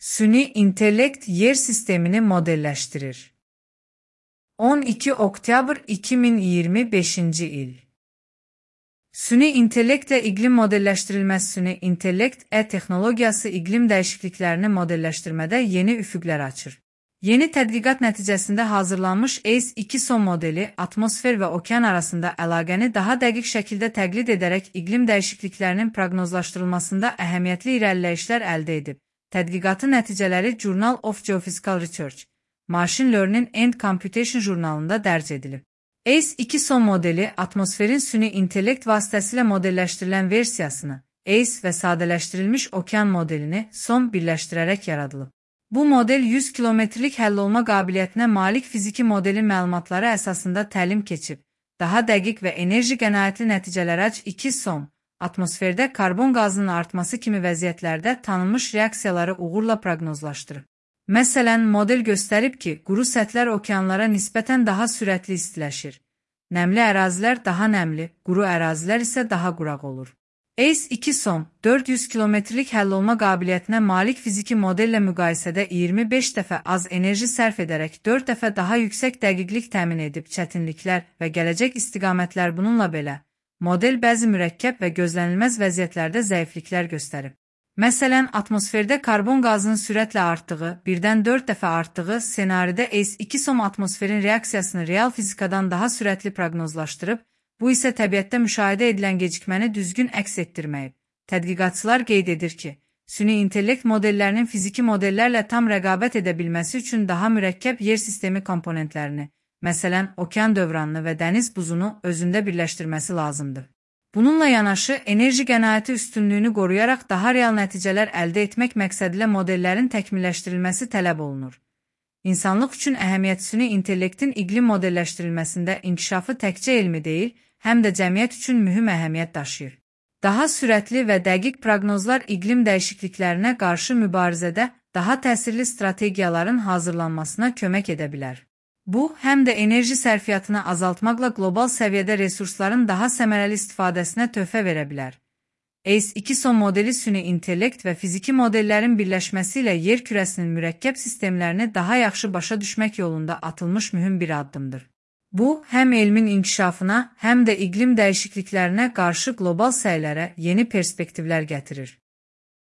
Süni intellekt yer sistemini modelleştirir. 12 Oktyabr 2025 il. Süni intellektle iklim modelleştirilmez süni intellekt teknologiyası iklim değişikliklerini modelleştirmede yeni üfüqlər açır. Yeni tədqiqat nəticəsində hazırlanmış ACE2 son modeli atmosfer və okean arasında əlaqəni daha dəqiq şəkildə təqlid edərək iklim dəyişikliklərinin proqnozlaşdırılmasında əhəmiyyətli irəliləyişlər əldə edib. Tədqiqatın nəticələri Journal of Geophysical Research, Machine Learning and Computation jurnalında dərc edilib. ACE2 son modeli atmosferin süni intellekt vasitəsilə modelləşdirilən versiyasını, ACE və sadələşdirilmiş okean modelini son birləşdirərək yaradılıb. Bu model 100 kilometrlik həll olma qabiliyyətinə malik fiziki modelin məlumatları əsasında təlim keçib, daha dəqiq və enerji qənaətli nəticələr ACE2 son, atmosferdə karbon qazının artması kimi vəziyyətlərdə tanınmış reaksiyaları uğurla proqnozlaşdırıb. Məsələn, model göstərib ki, quru səthlər okeanlara nisbətən daha sürətli istiləşir. Nəmli ərazilər daha nəmli, quru ərazilər isə daha quraq olur. ACE2 son, 400 kilometrlik həll olma qabiliyyətinə malik fiziki modellə müqayisədə 25 dəfə az enerji sərf edərək 4 dəfə daha yüksək dəqiqlik təmin edib çətinliklər və gələcək istiqamətlər bununla belə. Model bəzi mürəkkəb və gözlənilməz vəziyyətlərdə zəifliklər göstərib. Məsələn, atmosferdə karbon qazının sürətlə artdığı, birdən 4 dəfə artdığı senaridə ACE2 son atmosferin reaksiyasını real fizikadan daha sürətli proqnozlaşdırıb, bu isə təbiətdə müşahidə edilən gecikməni düzgün əks etdirməyib. Tədqiqatçılar qeyd edir ki, süni intellekt modellərinin fiziki modellərlə tam rəqabət edə bilməsi üçün daha mürəkkəb yer sistemi komponentlərini, məsələn, okean dövranını və dəniz buzunu özündə birləşdirməsi lazımdır. Bununla yanaşı, enerji qənaəti üstünlüyünü qoruyaraq daha real nəticələr əldə etmək məqsədilə modellərin təkmilləşdirilməsi tələb olunur. İnsanlıq üçün əhəmiyyət süni intellektin iqlim modelləşdirilməsində inkişafı təkcə elmi deyil, həm də cəmiyyət üçün mühüm əhəmiyyət daşıyır. Daha sürətli və dəqiq proqnozlar iqlim dəyişikliklərinə qarşı mübarizədə daha təsirli strategiyaların hazırlanmasına kömək edə bilər. Bu, həm də enerji sərfiyyatını azaltmaqla qlobal səviyyədə resursların daha səmərəli istifadəsinə töhfə verə bilər. ACE2 son modeli süni intellekt və fiziki modellərin birləşməsi ilə yer kürəsinin mürəkkəb sistemlərini daha yaxşı başa düşmək yolunda atılmış mühüm bir addımdır. Bu, həm elmin inkişafına, həm də iqlim dəyişikliklərinə qarşı qlobal səylərə yeni perspektivlər gətirir.